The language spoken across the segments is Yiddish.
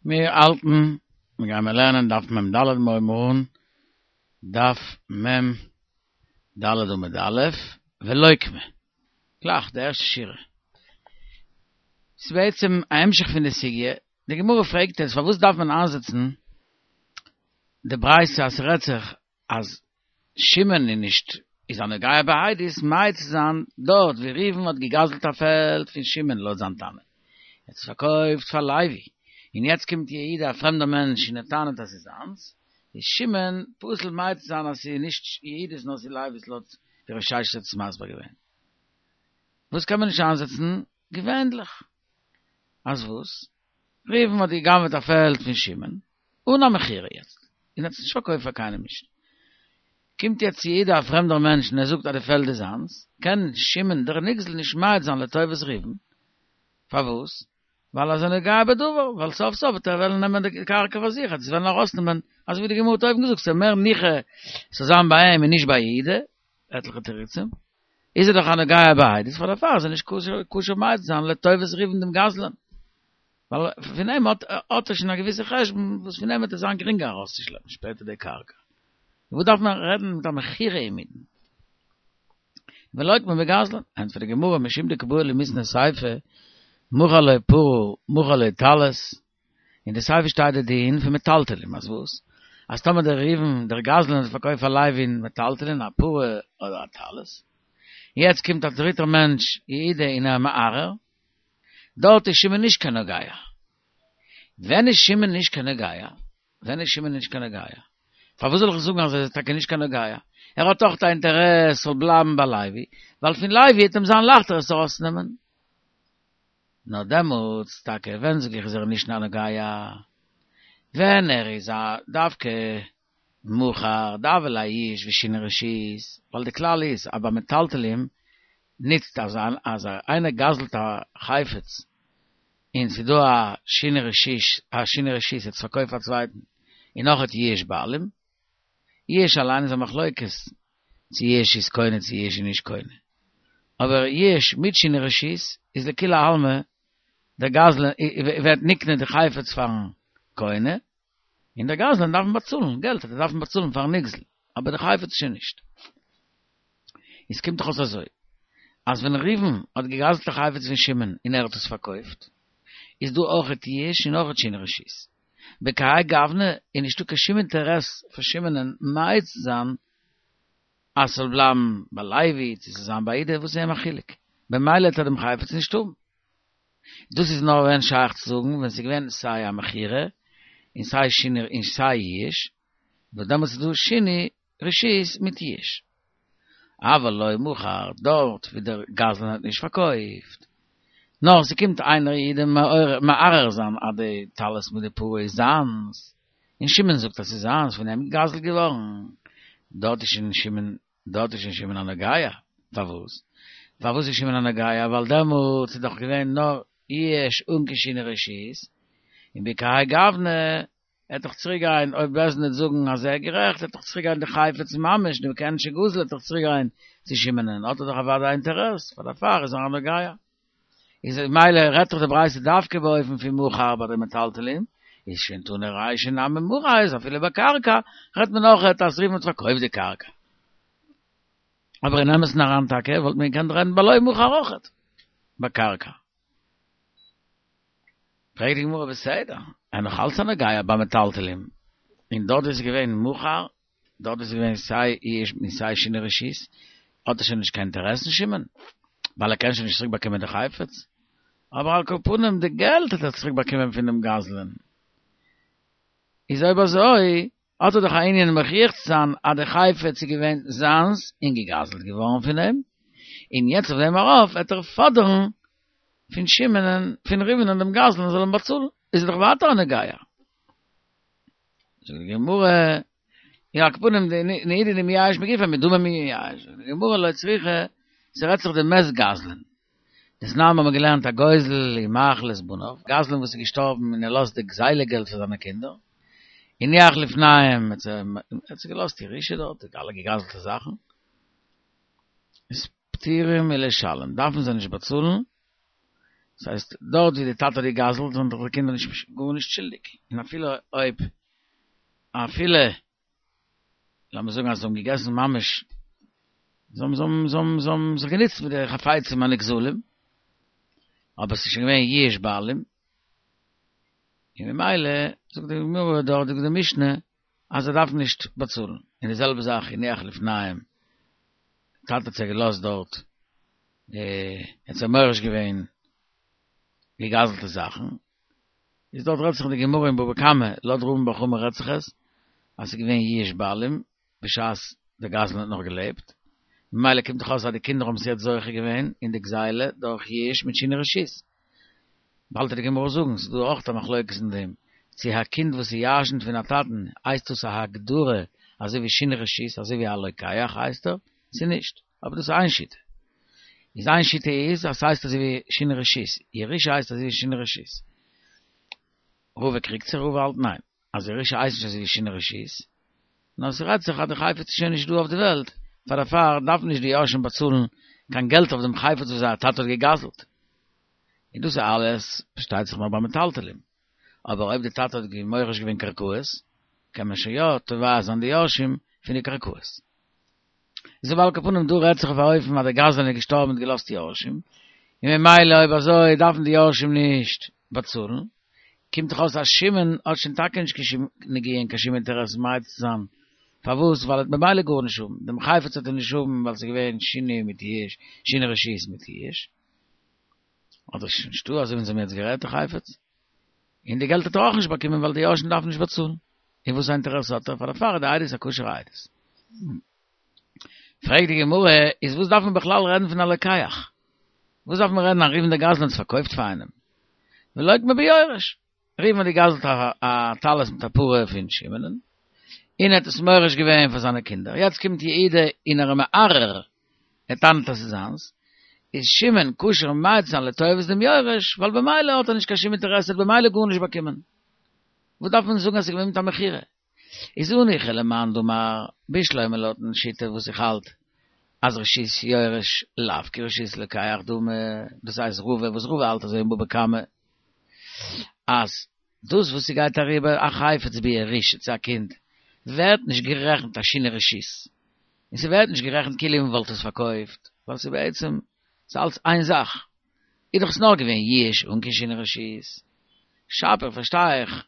מיר האלטן, מיר גיימער לערנען דף מ ד מיר הייבן אן, דף מ ד עמוד א', ולוקמה, גלייך די ערשטע שורה. ס'איז בעצם א המשך פון די סוגיא, די גמרא פרעגט יעצט פארוואס דארף מען איינזעצן די ברייתא אז ס'רעדט זיך אז שמעון איז נישט איז א נוגע בעדות מעיד צו זיין דארט ווי ראובן האט געגזלט א פעלד פון שמעון לויט זיין טענה, ער האט עס פארקויפט פאר לוי, און יעצט קומט יהודה א פרעמדער מענטש און ער טענה'ט אז ס'איז זיינס, איז שמעון פסול מעיד צו זיין אז ס'איז נישט יהודה'ס נאר ס'איז לוי'ס לויט ווי רב ששת האט עס מסביר געווען. וואס קען מען נישט איינזעצן געווענדליך? אז וואס? ראובן האט גע'גנב'עט א פעלד פון שמעון, אן א מכירה יעצט, און האט עס נישט פארקויפט פאר קיינעם נישט. קומט יעצט יהודה א פרעמדער מענטש און ער זאגט אז די פעלד איז זיינס, קען שמעון דער נגזל נישט מעיד זיין לטובת ראובן. פארוואס? ווייל ער איז א נוגע בדבר, ווייל סוף סוף וועט ער וועלן נעמען די קרקע פאר זיך, ער וועט עס וועלן ארויסנעמען, אזוי ווי די גמרא האט אויבן געזאגט, ס'איז מער ניחא ס'זאל זיין ביי אים און נישט ביי יהודה, עטליכע תירוצים. איז ער דאך א נוגע בעדות, פאר דערפאר איז ער נישט כשר מעיד זיין לטובת ראובן דעם גזלן. ווייל פון אים האט האט ער שוין א געוויסע חשבון וואס פון אים וועט עס זיין גרינגער ארויסצושלעפן שפעטער די קרקע. וואס דארף מען רעדן מיט א מכירה אינמיטן? ולוקמה בגזלן, ענטפערט די גמרא משום דקא בעי למיתני סיפא, מכר לו פרה מכר לו טלית, אין די סיפא שטייט די דין פון מטלטלין, אז וואס? אז טאמער דער ראובן דער גזלן האט פארקויפט פאר לוי'ן מטלטלין א פרה אדער א טלית, יעצט קומט א דריטער מענטש יהודה און ער מערער, דארט איז שמעון נישט קיין נוגע. ווען איז שמעון נישט קיין נוגע? ווען איז שמעון נישט קיין נוגע? פארוואס זאל איך זאגן אז ער איז טאקע נישט קיין נוגע? ער האט דאך א אינטערעס ס'זאל בלייבן ביי לוי, ווייל פון לוי וועט אים זיין לייכטער עס ארויסצונעמען. נאר דעמאלטס טאקע ווען זאג איך איז ער נישט א נוגע? ווען ער איז א דווקא מכר דהוה ליה יאוש ושינוי רשות, ווייל די כלל איז אז ביי מטלטלים נוצט אז אז איינער גזל'ט א חפץ און ס'איז דא א שינוי רשות א שינוי רשות ער האט עס פארקויפט פאר א צווייטן און נאכהער יאוש בעלים, יאוש אליין איז א מחלוקת צו יאוש איז קונה צו יאוש איז נישט קונה, אבער יאוש מיט שינוי רשות איז לכולי עלמא דער גזלן ווערט נקנה די חפץ פארן קונה, און דער גזלן דארף אים באצאלן געלט וועט ער דארפן באצאלן פארן נגזל, אבער די חפץ שוין נישט. איז קומט דאך אויס אזוי, אז ווען ראובן האט געגזלט א חפץ פון שמעון און ער האט עס פארקויפט, איז דא אויכעט יאוש און אויכעט שינוי רשות. בכהאי גוונא איז נישטא קיין שום אינטערעס פון שמעונ'ען מעיד צו זיין אז ס'זאל בלייבן ביי לוי צו ס'זאל זיין ביי יהודה, וואס איז אים א חילוק? במילא וועט ער דעם חפץ נישט האבן. דאס איז נאר ווען שייך צו זאגן ווען ס'איז געווען סיי א מכירה און סיי שינוי און סיי יאוש, וואס דעמאלטס איז דא שינוי רשות מיט יאוש. אבל לא מכר, דארט ווי דער גזלן האט נישט פארקויפט, נאר ס'קומט איינער יהודה מערער זיין אז די טלית מיט די פרה איז זיינס, און שמעון זאגט אז ס'איז זיינס פון אים געגזלט געווארן, דארט איז שוין שמעון דארט איז שוין שמעון א נוגע, פארוואס? פארוואס איז שמעון א נוגע? ווייל דעמאלטס איז דאך געווען נאר יאוש אן קיין שינוי רשות, און בכהאי גוונא עט דאך צוריק גיין, אויב בית דין וועט זאגן אז ער איז גערעכט, עט דאך צוריק גיין די חפץ ממש, די כעין שגזל עט דאך צוריק גיין צו שמעונ'ען, האט ער דאך אוודאי א אינטערעס, פאר דערפאר איז ער א נוגע. איז מילא רעדט דאך די ברייתא דווקא באופן פון מכר ביי די מטלטלין, איז שוין תנא רישא נמי מכר איז אפילו ביי קרקע רעדט מען אויכעט אז ראובן האט פארקויפט די קרקע. אבער אין אמת'ן אריין טאקע וואלט מען געקענט רעדן ביי לא מכר אויכעט ביי קרקע. פרעגט די גמרא בסדר, ער נאך אלץ א נוגע ביי מטלטלין, און דארט איז געווען מכר דארט איז געווען סיי יאוש און סיי שינוי רשות, האט ער שוין נישט קיין אינטערעס אין שמעון, ווייל ער קען שוין נישט צוריק באקומען די חפץ, אבער על כל פנים די געלט האט ער צוריק באקומען פונעם גזלן, איז אויב אזוי האט ער דאך א ענין מוכיח צו זיין אז די חפץ איז געווען זיינס און געגזלט געווארן פון אים, און יעצט אויף דעם ארויף וועט ער פאדערן פון שמעונ'ען, פון ראובנ'ען דעם גזלן זאל אים באצאלן, איז ער דאך ווייטער א נוגע. זאגט די גמרא, יא על כל פנים נהי דמייאש מגופיה מדמי מייאש, זאגט די גמרא לא צריכא, ס'רעדט זיך דמת גזלן, דתנן האבן מיר געלערנט הגוזל ומאכיל את בניו, גזלן וואס איז געשטארבן און ער לאזט די גזילה געלט פאר זיינע קינדער, הניח לפניהם, ער האט זיי געלאזט ירושה דארט, די אלע געגזלטע זאכן, איז פטורים מלשלם, דארפן זיי נישט באצאלן. דאס הייסט, דארט ווי די טאטע האט געגזלט זענען דאך די קינדער נישט גארנישט שולדיג, און אפילו אויב אפילו לאמיר זאגן אז זיי האבן געגעסן ממש, זיי האבן זיי האבן זיי האבן זיי האבן זיך גענוצט מיט די חפצים הנגזלים, אבער ס'איז שוין געווען יאוש בעלים, און ממילא זאגט די גמרא דארט זאגט די משנה אז ער דארף נישט באצאלן, און די זעלבע זאך הניח לפניהם, טאטע האט זיי געלאזט דארט, ער האט זיי מוריש געווען געגזלטע זאכן, איז דארט רעדט זיך אין די גמרא אין בבא קמא, לויט רמי בר חמא רעדט זיך עס אז ס'איז געווען יאוש בעלים בשעת דער גזלן האט נאך געלעבט, ממילא קומט דאך אויס אז די קינדער האבן עס יעצט זוכה געווען אין די גזילה דורך יאוש מיט שינוי רשות. באלד וועט די גמרא זאגן, ס'איז דא אויך א מחלוקת אין דעם, צו א קינד וואס ירשנ'ט פון א טאטן הייסט דאס א הגדרה אזוי ווי שינוי רשות אזוי ווי א לוקח הייסט ער, צו נישט. אבער דאס איז איין שיטה. איז איין שיטה איז אז ס'הייסט אזוי ווי שינוי רשות, ירושה הייסט אזוי ווי שינוי רשות. רבא קריגט זיך, רבא האלט ניין, אז ירושה הייסט נישט אזוי ווי שינוי רשות, נאר ס'רעדט זיך אז די חפץ איז שוין נישט דא אויף די וועלט, פאר דערפאר דארפן נישט די יורשים באצאלן קיין געלט אויף דעם חפץ וואס זייער טאטע האט געגזל'ט. און דאס איז אלעס פארשטייט זיך נאר ביי מטלטלים. אבער אויב די טאטע האט מוריש געווען קרקעות, קען מען שוין יא תובע זיין די יורשים פון די קרקעות. איז אבער על כל פנים דא רעדט זיך אויף א אופן אז דער גזלן איז געשטארבן און געלאזט יורשים, און ממילא אויב אזוי דארפן די יורשים נישט באצאלן, קומט דאך אויס אז שמעון האט שוין טאקע נישט קיין שום נגיעה און קיין שום אינטערעס מעיד צו זיין, פארוואס? ווייל ער וועט ממילא גארנישט האבן, דעם חפץ וועט ער נישט האבן ווייל ס'איז געווען שינוי מיט יאוש, שינוי רשות מיט יאוש, אדער ס'איז נישטא אזוי ווי אונז האבן יעצט גערעדט די חפץ, און די געלט האט ער אויך נישט באקומען ווייל די יורשים דארפן נישט באצאלן. און וואס א אינטערעס האט ער? פאר דערפאר איז די עדות א כשר'ע עדות. פרעגט די גמרא, איז וואס דארף מען בכלל רעדן פון א לוקח? וואס דארף מען רעדן אז ראובן דער גזלן האט עס פארקויפט פאר איינעם? ולוקמה ביורש. ראובן האט געגזלט א טלית מיט א פרה פון שמעונ'ען, און ער האט עס מוריש געווען פאר זיינע קינדער. יעצט קומט יהודה און ער איז מערער, ער טענה'ט אז ס'איז זיינס, איז שמעון כשר מעיד זיין לטובת דעם יורש, ווייל במילא האט ער נישט קיין שום אינטערעסע, ער האט במילא גארנישט באקומען. וואס דארף מען זאגן אז ס'איז געווען מיט א מכירה? איז הניחא למאן דאמר בשלמא לויטן שיטה וואס איך האלט אז רשות יורש לאו כרשות לוקח דמי, דאס הייסט רבא וואס רבא האלט אזוי אין בבא קמא אז דאס וואס ס'גייט אריבער א חפץ בירושה צו א קינד ווערט נישט גערעכנט א שינוי רשות און ס'ווערט נישט גערעכנט כאילו מ'וואלט עס פארקויפט ווייל ס'איז בעצם ס'איז אלץ איין זאך. איז דאך עס נאר געווען יאוש אן קיין שינוי רשות. שפיר פארשטיי איך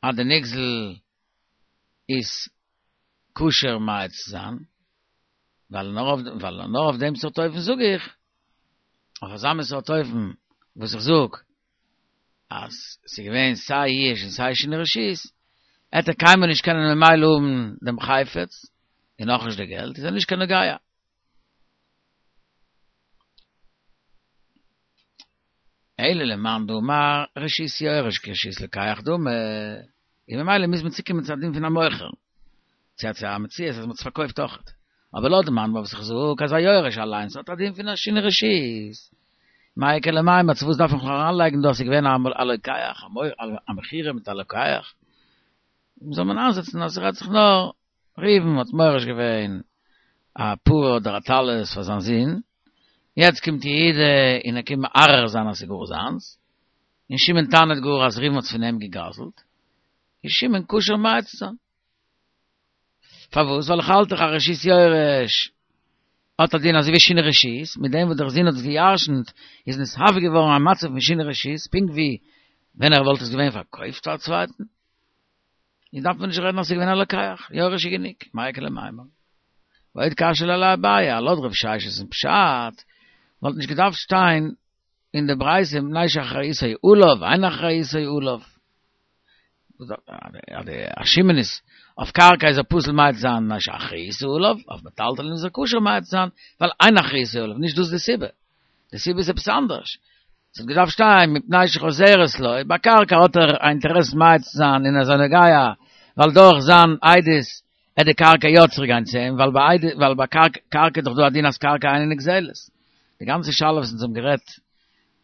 אז די נגזל איז כשר מעיד צו זיין, ווייל נאר אויף ווייל נאר אויף דעם סארט אופן זאג איך, אויף אזא מין סארט אופן וואס איך זאג אז ס'איז געווען סיי יאוש און סיי שינוי רשות, עט ער קיינמאל נישט קענען ממילא האבן דעם חפץ און אויך נישט די געלט, איז ער נישט קיין נוגע. אלא למאן דאמר רשות יורש כרשות לוקח דמי, און ממילא מוז מען צוקומען צו א דין פון א מוכר, צו צו א מציאות אז מען האט עס פארקויפט אויכעט. אבער לויט די מאן דאמר וואס איך זאג אז א יורש אליינס האט א דין פון א שינוי רשות, מאי איכא למימר צו וואס דארף איך נאך אריינלייגן דא אז ס'איז געווען א לוקח, א מכירה מיט א לוקח, זאל מען איינזעצן אז ס'רעדט זיך נאר ראובן האט מוריש געווען א פרה אדער א טלית פאר זיין זון, יעצט קומט יהודה און ער קומט מערער זיין אז ס'איז גאר זיינס, און שמעון טענה'ט גאר אז ראובן האט עס פון אים געגזל'ט, איז שמעון כשר מעיד צו זיין. פארוואס? ווייל איך האלט דאך אז רשות יורש האט א דין אזוי ווי שינוי רשות, מיט דעם וואס דער זון האט עס גע'ירש'נט איז נתהווה געווארן א מצב פון שינוי רשות, פונקט ווי ווען ער וואלט עס געווען פארקויפט פאר א צווייטן. איז דארף מען נישט רעדן אז ס'איז געווען א לוקח, יורש איז גענוג, מאי איכא למימר. ועוד קשיא ליה לאביי, לויט רב ששת'ן פשט, וואלט נישט געדארפט שטיין אין די ברייתא מפני שאחריותו עליו, אין אחריותו עליו. א שמעון איז אויף קרקע איז ער פסול מעיד זיין מפני שאחריותו עליו, אויף מטלטלין איז ער כשר מעיד זיין, ווייל אין אחריותו עליו, נישט דאס די סיבה. די סיבה איז עפעס אנדערש. ס'האט געדארפט שטיין מפני שחוזרת לו, ביי קרקע האט ער א אינטערעס מעיד צו זיין און ער איז א נוגע, ווייל דורך זיין עדות עט די קרקע יא צוריק גיין צו אים, ווייל ביי עדות ווייל ביי קרקע איז דאך דא א דין אז קרקע אינה נגזלת. די גאנצע שאלה וואס אונז האבן גערעדט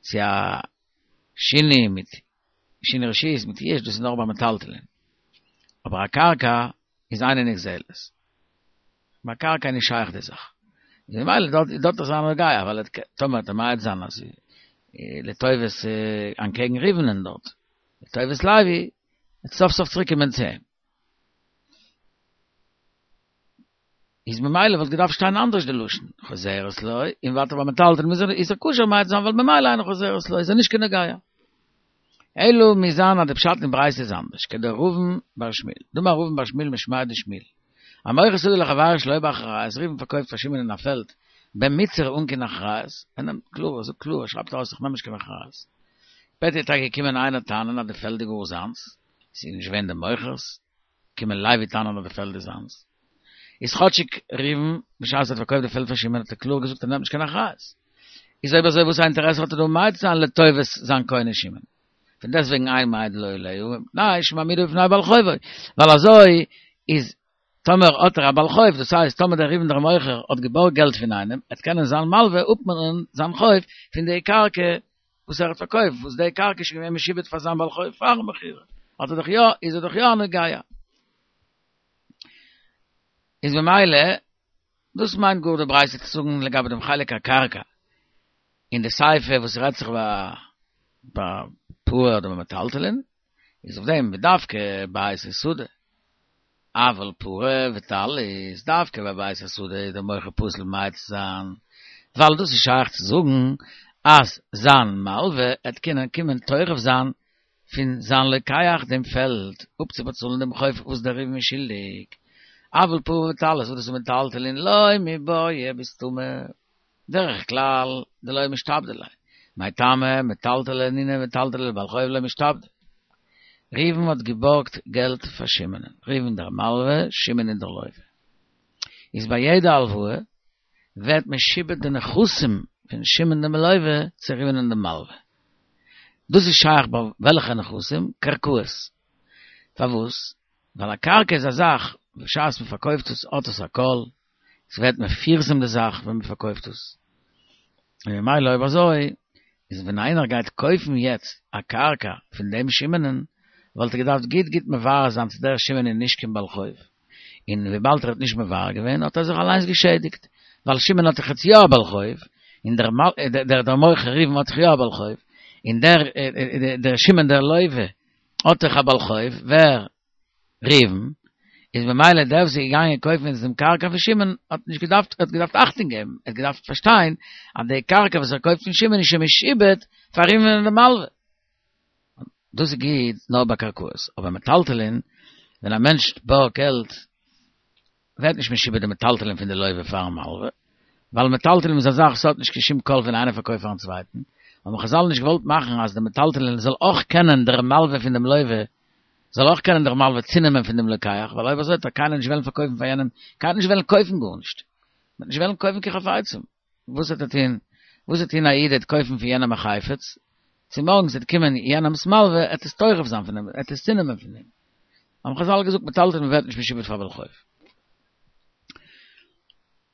צו א שינוי מיט שינוי רשות מיט יאוש דאס איז נאר ביי מטלטלין. אבער א קרקע איז אינה נגזלת. ביי קרקע איז נישט שייך די זאך. איז ממילא דארט דארט איז ער א נוגע, ווייל ער טאמער וועט ער מעיד זיין אז. לטובת אנטקעגן ראובנ'ען דארט, לטובת לוי, וועט סוף סוף צוריק קומען צו אים. איז ממילא וואלט געדארפט שטיין אנדערש די לשון, חוזרת לו, און ווייטער ביי מטלטלין איז ער איז ער כשר ממעט זיין ווייל ממילא אינה חוזרת לו איז ער נישט קיין נוגע. אלא מוז זיין אז די פשט אין ברייתא איז אנדערש, כדרבין בר שמואל, דאמר רבין בר שמואל משמיה דשמואל, המוכר שדה לחבירו שלא באחריות, ראובן פארקויפט פאר שמעון אין א פעלד במיצר אן קיין אחריות, ער נעמט קלאר, ער זאגט קלאר, ער שרייבט ארויס איך נעם נישט קיין אחריות. שפעטער איז טאקע געקומען איינער טענה'ן אז די פעלד איז גאר זיינס, ס'איז נישט געווען די מוכר'ס, קומען לוי טענה'ן אז די פעלד איז זיינס. איז כאטשיג ראובן בשעת ער האט פארקויפט די פעלד פאר שמעון האט ער קלאר געזאגט ער נעמט נישט קיין אחריות. איז אויב אזוי וואס א אינטערעסע האט ער דא ממעט זיין לטובת זיין קונה שמעון? פון דעסטוועגן אין מעיד לו עליה מפני שמעמידו בפני בעל חובו, ווייל אזוי איז טאמער האט ער א בעל חוב, דאס הייסט טאמער דער ראובן דער מוכר האט געבארגט געלט פון איינעם, עט קענען זיין מלווה אפמאנען זיין חוב פון די קרקע וואס ער האט פארקויפט, וואס די קרקע איז שוין געווען משועבד פאר זיין בעל חוב פארן מכירה, האט ער דאך יא, איז ער דאך יא א נוגע. איז ממילא, דאס מיינט גאר די ברייתא צו זאגן לגבי דעם חלק הקרקע, אין די סיפא וואס רעדט זיך ביי ביי פרה אדער ביי מטלטלין, איז אויף דעם ודווקא בית או שדה, אבל פרה וטלית, דווקא ביי בית השדה איז דער מוכר פסול ממעט צו זיין, ווייל דאס איז שייך צו זאגן אז זיין מלווה עט קענען קומען תורף זיין פון זיין לוקח דעם פעלד אפצובאצאלן דעם חוב וואס דער ראובן איז שולדיג, אבל פרה וטלית וואס דאס איז מטלטלין לא מיבעיא בסתמא, דרך כלל דלא משתעבדי ליה, מאי טעמא מטלטלי נינהו מטלטלי לבעל חוב לא משתעבדי. ראובן האט געבארגט געלט פאר שמעונ'ען, ראובן דער מלווה, שמעון איז דער לווה. איז ביי יעדע הלוואה ווערט משועבד די נכסים פון שמעון דעם לווה צו ראובן'ען דעם מלווה. דאס איז שייך ביי וועלכע נכסים? קרקעות. פארוואס? ווייל א קרקע איז א זאך, בשעת מען פארקויפט עס האט עס א קול, עס ווערט מפורסם די זאך ווען מען פארקויפט עס. און ממילא אויב אזוי, איז ווען איינער גייט קויפן יעצט א קרקע פון דעם שמעונ'ען, וואלט ער געדארפט גוט גוט מברר זיין צו דער שמעון איז נישט קיין בעל חוב. און וויבאלד ער האט נישט מברר געווען האט ער זיך אליינס געשעדיגט, ווייל שמעון האט דאך יעצט יא א בעל חוב, און דער דער מוכר ראובן האט דאך יא א בעל חוב, און דער דער שמעון דער לווה האט דאך א בעל חוב, ווער? ראובן, איז ממילא דער וואס איז געגאנגען קויפן יעצט דעם קרקע פון שמעון האט נישט געדארפט, האט געדארפט אכטונג געבן, ער האט געדארפט פארשטיין אז די קרקע וואס ער קויפט פון שמעון איז שוין משועבד פאר ראובן דעם מלווה. דאס איז גוט נאר ביי קרקעות, אבער מטלטלין, ווען א מענטש בארגט געלט, ווערט נישט משועבד די מטלטלין פון די לווה פארן מלווה, ווייל מטלטלין איז א זאך וואס האט נישט קיין שום קול ווען איינער פארקויפט פארן צווייטן, האבן חזל נישט געוואלט מאכן אז די מטלטלין זאל אויך קענען דער מלווה פון דעם לווה, זאל אויך קענען דער מלווה צונעמען פון דעם לוקח, ווייל אויב אזוי וועט קיינער נישט וועלן פארקויפן פאר יענעם, קיינער נישט וועלן קויפן גארנישט, מען וועט נישט וועלן קויפן קיין חפצים. וואס וועט ער טון? וואס וועט טון א איד ער וועט קויפן פון יענעם א חפץ, צומארגנס וועט קומען יענעמ'ס מלווה, ער וועט עס תורף זיין פון אים, ער וועט עס צונעמען פון אים. האבן חזל געזאגט מטלטלין ווערט נישט משועבד פאר בעל חוב.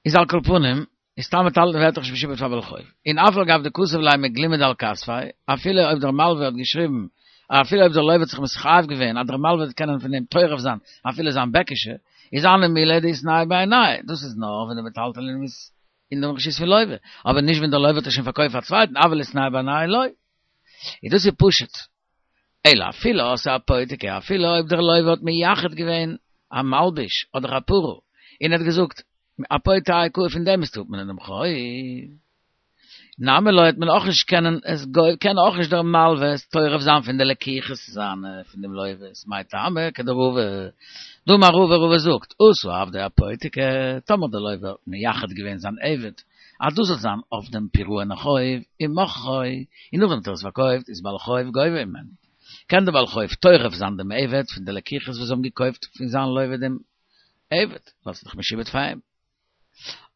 איז על כל פנים, איז סתם מטלטלין ווערט דאך נישט משועבד פאר בעל חוב. און אף על גב דכתב ליה מגלומד על כתפיה, אפילו אויב דער מלווה האט געשריבן, אפילו אויב דער לווה האט זיך מתחייב געווען אז דער מלווה וועט קענען פון אים תורף זיין אפילו זיין בעקישע, איז הני מילי דאיתנהו בעיניה, דאס איז נאר ווען די מטלטלין איז אין דעם רשות פון לווה, אבער נישט ווען דער לווה האט עס שוין פארקויפט פאר א צווייטן, אבל איתנהו בעיניה לא. איז דאס איז פשוט. אלא אפילו אתא אפותיקי, אפילו אויב דער לווה האט מייחד געווען א מלבוש אדער א פרה, און ער האט געזאגט, אפוטה האי קאי פון דעם מוזטו אפמאנען דעם חוב. נמי לא וועט מען אויך נישט קענען עס קען אויך נישט דער מלווה עס תורף זיין פון די לקיחות זיינע פון דעם לווה'ס מאי טעמא כדרבא דאמר רבא רבא זאגט עשה עבדו אפותיקי טאמער דער לווה האט מייחד געווען זיין עבד אז דאס זאל זיין אויף דעם פירעון החוב ומכרו און נאכדעם האט ער עס פארקויפט איז בעל חוב גובה הימנו קען דער בעל חוב תורף זיין דעם עבד פון די לקיחות וואס זיי האבן געקויפט פון זיין לווה דעם עבד ווייל ס'איז דאך משועבד פאר אים.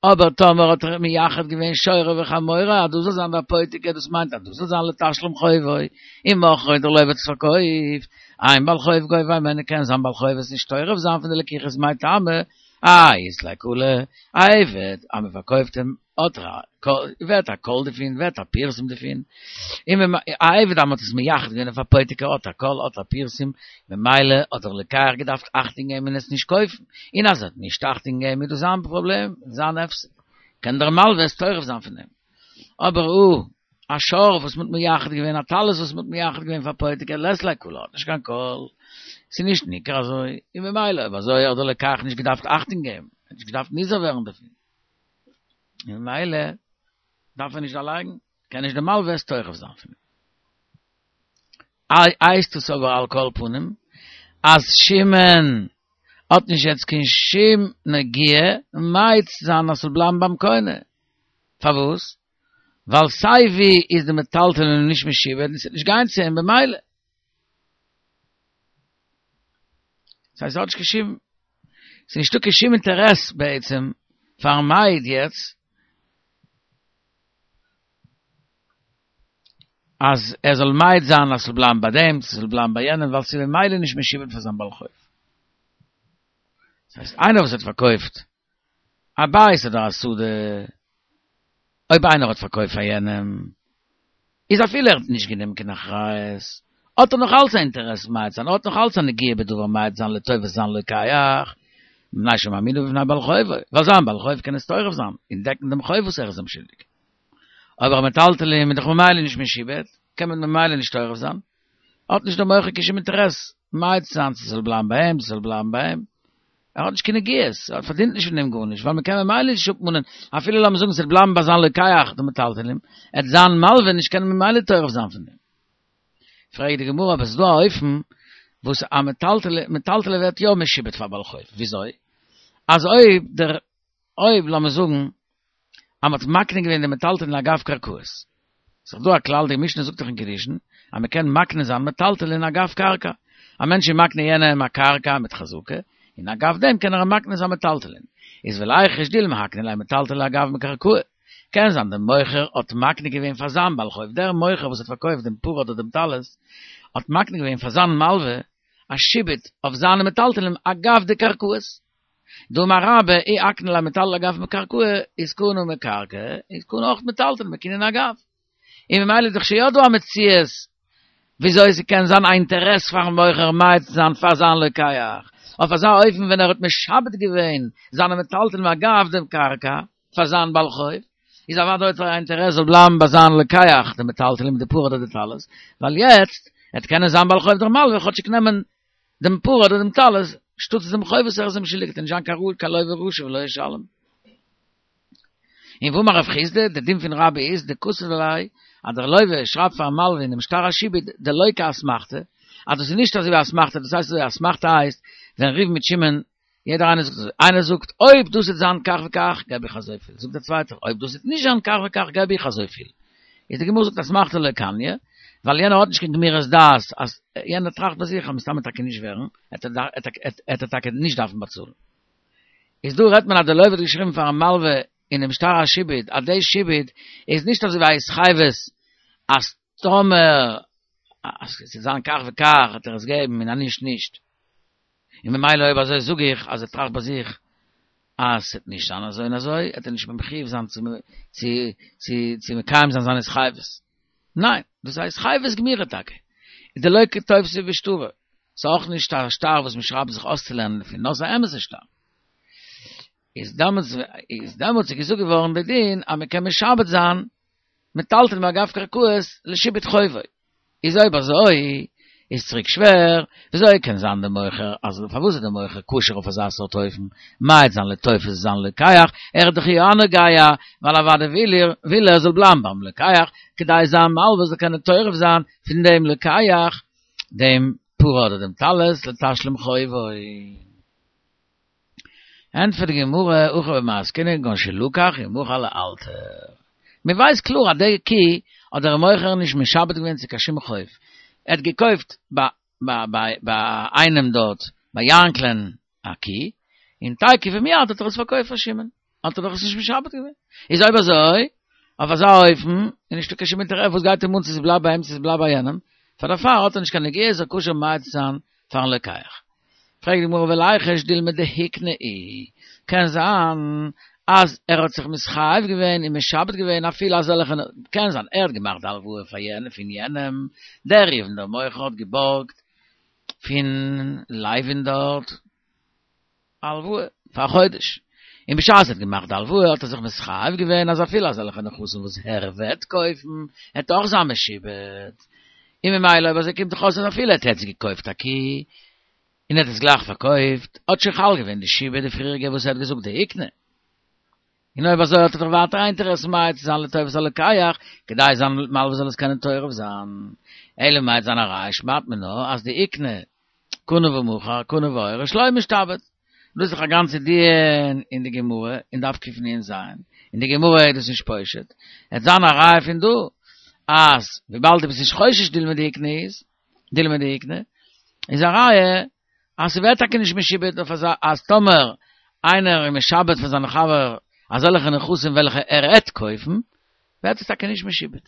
אבער טאמער האט ער מייחד געווען שורו וחמורו אז דאס זאל זיין די אפותיקי, דאס מיינט אז דאס זאל זיין לתשלום חובו, ומכרו דער לוה האט עס פארקויפט, אין בעל חוב גובה הימנו קען זיין בעל חוב עס נישט תורף זיין פון די לקיחות מאי טעמא, האי אית ליה קלא, א עבד אז מען פארקויפט אים האט ער א ווערט א קול דערפון, ווערט א פירסום דערפון, און א עבד אז מען האט עס מייחד געווען אויף אפותיקי האט א קול האט א פירסום, ממילא האט דער לוקח געדארפט אכטונג געבן און עס נישט קויפן, און אז ער האט נישט אכטונג געגעבן איז דאס זיין פראבלעם, זיין הפסד, קען דער מלווה עס תורף זיין פון אים. אבער הא. א שור וואס מ'האט מייחד געווען, א טלית וואס מ'האט מייחד געווען פאר פויטיק, לית ליה קלא, האט נישט קיין קול, ס'איז נישט ניכר אזוי, און ממילא אויב אזוי האט דער לוקח נישט געדארפט אכטונג געבן, ער האט נישט געדארפט נזהר ווערן דערפון, און ממילא דארף ער נישט דערלייגן, קען נישט דער מלווה עס תורף זיין פון אים. הייסט עס אבער על כל פנים אז שמעון האט נישט יעצט קיין שום נגיעה ממעט זיין אז ס'זאל בלייבן ביים קונה, פארוואס? ווייל סיי ווי איז די מטלטלין נישט משועבד און ס'וועט נישט גיין צו אים במילא. ס'הייסט ס'האט נישט קיין שום, ס'איז נישטא קיין שום אינטערעס בעצם פארן מעיד יעצט אז ער זאל מעיד זיין אז ס'זאל בלייבן ביי דעם, ס'זאל בלייבן ביי יענעם, ווייל ס'איז ממילא נישט משועבד פאר זיין בעל חוב. דאס הייסט איינער וואס האט פארקויפט א בית אדער א שדה, אויב איינער האט פארקויפט פאר יענעם, איז אפילו ער האט נישט גענומען קיין אחריות, האט ער נאך אלץ א אינטערעס מעיד זיין, ער האט נאך אלץ א נגיעה בדבר מעיד זיין לטובת זיין לוקח, מפני שמעמידו בפני בעל חובו, ווייל זיין בעל חוב קען עס תורף זיין, און דעקן דעם חוב וואס ער איז אים שולדיג. אבער מטלטלין איז דאך ממילא נישט משועבד, קען מען ממילא נישט תורף זיין, האט נישט דער מוכר קיין שום אינטערעס מעיד צו זיין צו ס'זאל בלייבן ביי אים, צו ס'זאל בלייבן ביי אים, ער האט נישט קיין נגיעות, ער פארדינט נישט פון דעם גארנישט, ווייל מ'קען ממילא נישט אפמאנען, אפילו לאמיר זאגן ס'וועט בלייבן ביי זיין לוקח די מטלטלין, עט זיין מלווה נישט קענען ממילא תורף זיין פון דעם. פרעגט די גמרא אבער ס'איז דא א אופן וואס א מטלטלין ווערט יא משועבד פאר בעל חוב, וויאזוי? אז אויב דער אויב לאמיר זאגן אז מ'האט מקנה געווען די מטלטלין אגב קרקעות. ס'איז דאך דא א כלל, די משנה זאגט דאך אין קידושין, אז מ'קען מקנה זיין מטלטלין אגב קרקע. א מענטש איז מקנה יענעם א קרקע מיט חזקה, און אגב דעם קען ער אים מקנה זיין מטלטלין. איז וליחוש דילמא הקני ליה מטלטלי אגב מקרקעי. קען זיין דער מוכר האט מקנה געווען פאר זיין בעל חוב, דער מוכר וואס האט פארקויפט דעם פרה אדער דעם טלית, האט מקנה געווען פאר זיין מלווה א שעבוד אויף זיינע מטלטלין אגב די קרקעות. דאמר רבה אי אקני ליה מטלטלי אגב מקרקעי איז קנה מקרקעי איז קנה אויך מטלטלין בקנין אגב. און ממילא איז דאך שוין יא דא א מציאות וויאזוי ס'קען זיין א אינטערעס פארן מוכר מעיד צו זיין פאר זיין לוקח אויף אזא אופן ווען ער האט משעבד געווען זיינע מטלטלין אגב דעם קרקע פאר זיין בעל חוב איז אוודאי האט ער א אינטערעס זאל בלייבן ביי זיין לוקח די מטלטלין די פרה אדער די טלית ווייל יעצט עט קענען זיין בעל חוב דער מלווה כאטשיג נעמען דעם פרה אדער דעם טלית, שטאטס דעם חוב וואס ער איז אים שולדיג, וועט נישט זיין קיין רעה קיין לוה רשע ולא ישלם. און ואמר רב חסדא, דער דין פון רבה איז, דכתב ליה, אז דער לוה שרייבט פארן מלווה אינעם שטר השעבוד, דלא כאסמכתא, אז דאס איז נישט אזוי ווי אסמכתא, דאס הייסט אזוי, אסמכתא הייסט, ווען ראובן מיט שמעון, יעדער איינער זאגט אזוי, איינער זאגט, אויב דאס וועט זיין כך וכך, געב איך אזויפיל, זאגט דער צווייטער, אויב דאס וועט נישט זיין כך וכך, געב איך אזויפיל. איז די גמרא זאגט אסמכתא לא קניא, ווייל יענער האט נישט קיין גמירות דעת אז יענער טראכט ביי זיך אז מסתמא טאקע נישט ווערן, עט ער טאקע נישט דארפן באצאלן. איז דא רעדט מען אז די לוה האט געשריבן פארן מלווה אינעם שטר השעבוד אז די שעבוד איז נישט אזוי ווי א התחייבות אז טאמער אז ס'וועט זיין כך וכך וועט ער עס געבן און אז נישט נישט. און ממילא אויב אזוי זאג איך אז ער טראכט ביי זיך אז ס'וועט נישט זיין אזוי און אזוי, וועט ער נישט מחויב זיין צו צו צו צו מקיים זיין זיין התחייבות. ניין, דאס איז א התחייבות גמירה טאקע. איז דלא כטופסי בשטרא. ס'איז אויך נישט א שטר וואס מ'שרייבט זיך אויסצולערנען דערפון, נאר ס'איז א אמת'ע שטר. איז דעמאלטס איז דעמאלטס איז געזאגט געווארן די דין אז מ'קען משעבד זיין מטלטלין אגב קרקעות לשעבוד חובו. איז אויב אזוי איז צוריק שווער, וויאזוי קען זיין די מוכר אז פארוואס איז די מוכר כשר אויף אזא סארט אופן, מעיד זיין לטובת זיין לוקח, ער איז דאך יא נוגע, ווייל אוודאי וויל ער וויל ער זאל בלייבן ביים לוקח, כדי זיין מלווה זאל קענען תורף זיין פון דעם לוקח דעם פרה אדער דעם טלית לתשלום חובו. ענטפערט די גמרא, הכא במאי עסקינן כגון שלקח ומכר לאלתר. מען ווייסט קלאר אז די קי האט דער מוכר נישט משעבד געווען צו קיין שום חוב. ער האט געקויפט ביי איינעם דארט, ביי יענקל'ען א קי, און תיכף ומיד האט ער עס פארקויפט פאר שמעון. האט ער דאך עס נישט משעבד געווען. איז אויב אזוי, אויף אזא אופן, איז נישטא קיין שום אינטערעס, וואס גייט אים אן צו ס'בלייבט ביי אים צו ס'בלייבט ביי יענעם, פאר דערפאר האט ער נישט קיין נגיעה, איז ער כשר מעיד צו זיין פארן לוקח. פרעגט די גמרא וליחוש דילמא דהקנה איהו, קען זיין אז ער האט זיך מתחייב געווען און משעבד געווען אפילו אזעלכע, קען זיין ער האט געמאכט די הלוואה פאר יענעם פון יענעם, דער ראובן דער מוכר האט געבארגט פון לוי'ן דארט א הלוואה פאר א חודש, און בשעת ער האט געמאכט די הלוואה האט ער זיך מתחייב געווען אז אפילו אזעלכע נכסים וואס ער וועט קויפן העט אויך זיין משועבד, און ממילא אויב אזוי קומט דאך אויס אז אפילו ער האט יעצט געקויפט א קי און ער האט עס גלייך פארקויפט האט שוין חל געווען די שעבוד די פריעריגע וואס ער האט געזאגט דאיקני. און אויב אזוי האט ער דאך ווייטער א אינטערעס מעיד צו זיין לטובת הלוקח, כדי זיין מלווה זאל עס קענען תורף זיין. אלא מאי וועט זיין א ראיה שמעת מינה אז דאיקני קנה ומכר קנה והוריש לא משתעבד. דאס איז דאך א גאנצע דיון אין די גמרא אין דף קנ"ז, אין די גמרא איז דאס נישט פושט, עט זיין א ראיה פון דא אז וויבאלד דו ביסט נישט חושש דילמא דאיקני איז דילמא דאיקני איז א ראיה אז ס'ווערט טאקע נישט משועבד אויף אזא אז טאמער איינער איז משעבד פאר זיין חבר אזעלכע נכסים וועלכע ער עט קויפן ווערט עס טאקע נישט משועבד.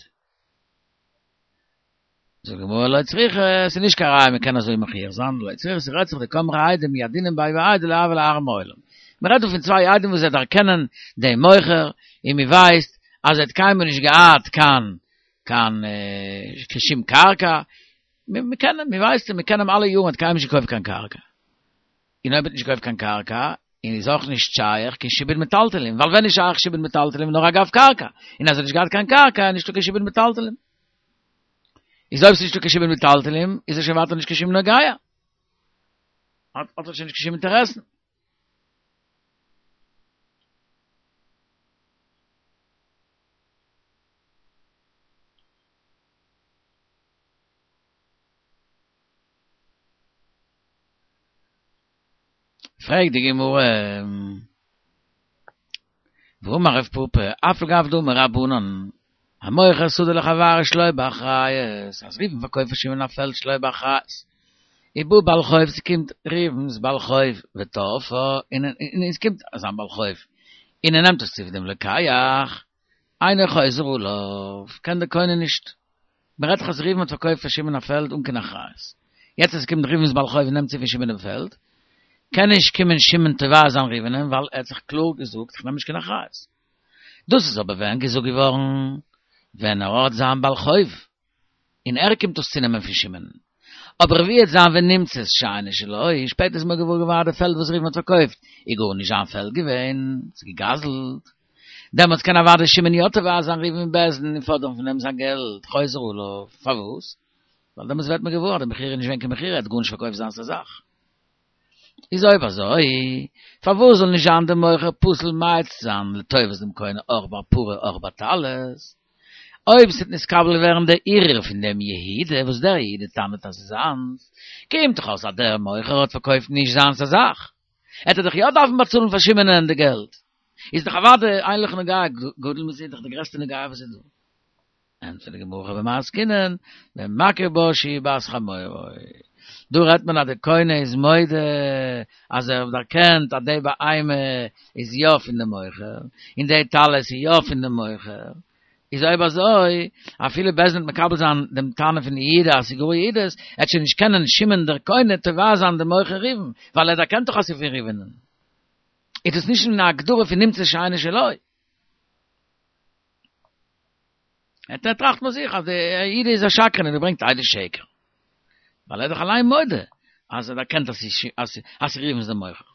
זאגט די גמרא לא צריכא, ס'איז נישט קיין ראיה מ'קען אזוי מוכיח זיין, לא צריכא ס'רעדט זיך דקאמרי עדים ידעינן ביה בהאי דלא הוה ליה ערעא מעולם. מ'רעדט דא פון צוויי עדים וואס זיי דערקענען דעם מוכר און מ'ווייסט אז ער האט קיינמאל נישט געהאט קיין קיין קיין שום קרקע, מ'קען אים, מ'ווייסט אים, מ'קען אים אלע יארן, ער האט קיינמאל נישט געקויפט קיין קרקע. און אויב ער האט נישט געקויפט קיין קרקע, און איז אויך נישט שייך קיין שעבוד מטלטלין, ווייל ווען איז שייך שעבוד מטלטלין נאר אגב קרקע, און אז ער האט נישט געהאט קיין קרקע איז נישטא קיין שעבוד מטלטלין. איז אויב ס'איז נישטא קיין שעבוד מטלטלין, איז ער שוין ווייטער נישט קיין שום נוגע. האט ער שוין נישט קיין שום אינטערעסן. פרעגט די גמרא, והאמר רב פפא, אף על גב דאמור רבנן, המוכר שדה לחברו שלא באחריות, אז ראובן פארקויפט פאר שמעון א פעלד שלא באחריות, ובא בעל חוב, ס'קומט ראובן'ס בעל חוב וטרפה, און עס קומט זיין בעל חוב, און ער נעמט עס צו פון דעם לוקח, אינו חוזר עליו, קען דער קונה נישט. מען רעדט דאך אז ראובן האט פארקויפט פאר שמעון א פעלד אן קיין אחריות. יעצט אז עס קומט ראובן'ס בעל חוב און נעמט צו פון שמעון דעם פעלד, קען נישט קומען שמעון תובע זיין ראובן'ען ווייל ער האט זיך קלאר געזאגט איך נעם נישט קיין אחריות. דאס איז אבער ווען געזאגט געווארן ווען ער האט זיין בעל חוב און ער קומט דאס צונעמען פון שמעון. אבער ווי וועט זיין ונמצאת שאינה שלו, שפעטער איז מען געוואר געווארן אז די פעלד וואס ראובן האט פארקויפט איז גארנישט זיין פעלד געווען, ס'איז געגזלט. דעמאלטס קען אוודאי שמעון יא תובע זיין ראובן אין בית דין און פאדערן פון אים זיין געלט, חוזר עליו. פארוואס? ווייל דעמאלטס ווערט מען געוואר אז די מכירה איז נישט געווען קיין מכירה, ער האט גארנישט פארקויפט זיינס א זאך. איז אויב אזוי, פארוואס זאל נישט זיין די מוכר פסול מעיד זיין לטובת דעם קונה אויך ביי פרה אויך ביי טלית? אויב ס'וועט נתקבל ווערן דער ערעור פון דעם יהודה, וואס דער יהודה טענה'ט אז ס'איז זיינס, קומט דאך אויס אז דער מוכר האט פארקויפט נישט זיינס א זאך, עט ער דאך יא דארפן באצאלן פאר שמעונ'ען די געלט. איז דאך אוודאי אין לך נוגע גדול מזה, דאך די גרעסטע נוגע וואס איז דא. ענטפערט די גמרא במאי עסקינן, במכיר בה שהיא בת חמורו. דא רעדט מען אז די קונה איז מודה אז ער האט דערקענט אז די בהמה איז יא פון די מוכר, און די טלית איז יא פון די מוכר, איז אויב אזוי, אפילו בית דין וועט מקבל זיין דעם טענה פון יהודה אז ס'איז גאר יהודה'ס, עט שוין נישט קענען שמעון דער קונה תובע זיין די מוכר ראובן, ווייל ער דערקענט דאך אז ס'איז פון ראובן'ען. איז דאס נישט אין א הגדרה פון נמצא שאינו שלו. ער טראכט ביי זיך אז דער יהודה איז א שקרן און ער ברענגט עדות שקר. ווייל ער איז דאך אליין מודה אז ער דערקענט אז ס'איז ראובן דער מוכר.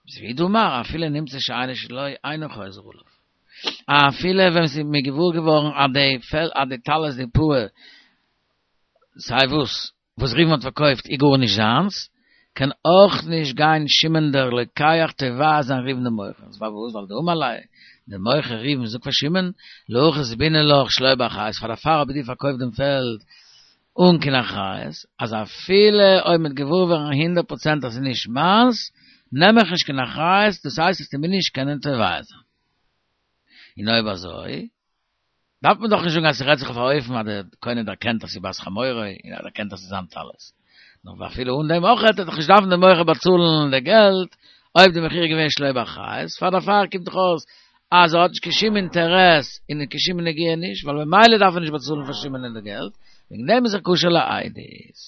איז והוא דאמר אפילו נמצא שאינו שלו אינו חוזר עליו. אפילו ווען ס'איז מיר געוואר געווארן אז די פעל אז די טלית די פאה סיי וואס וואס ראובן האט פארקויפט איז גארנישט זיינס, קען אויך נישט גיין שמעון דער לוקח תובע זיין ראובן דעם מוכר, פארוואס? ווייל דאמר ליה, דער מוכר ראובן זאגט פאר שמעון, להכי זבינא לך שלא באחריות, פאר דערפאר האב איך דיר פארקויפט דעם פעלד אן קיין אחריות, אז אפילו אויב מ'וועט געוואר ווערן הונדערט פראצענט אז ס'איז נישט מיינס, נעם איך נישט קיין אחריות, דאס הייסט וועסטו מיר נישט קענען תובע זיין. און אויב אזוי, דארף מען דאך נישט זאגן אז ס'רעדט זיך אויף א אופן אז דער קונה דערקענט אז ס'איז בת חמורו און ער דערקענט אז ס'איז זיין טלית. נאר אפילו אן דעם אויך וועט ער דאך נישט דארפן דער מוכר באצאלן די געלט אויב די מכירה איז געווען שלא באחריות, פאר דערפאר קומט דאך אויס אז ער האט נישט קיין שום אינטערעס און קיין שום נגיעה נישט, ווייל ממילא דארף ער נישט באצאלן פאר שמעונ'ען די געלט, וועגן דעם איז ער כשר לעדות.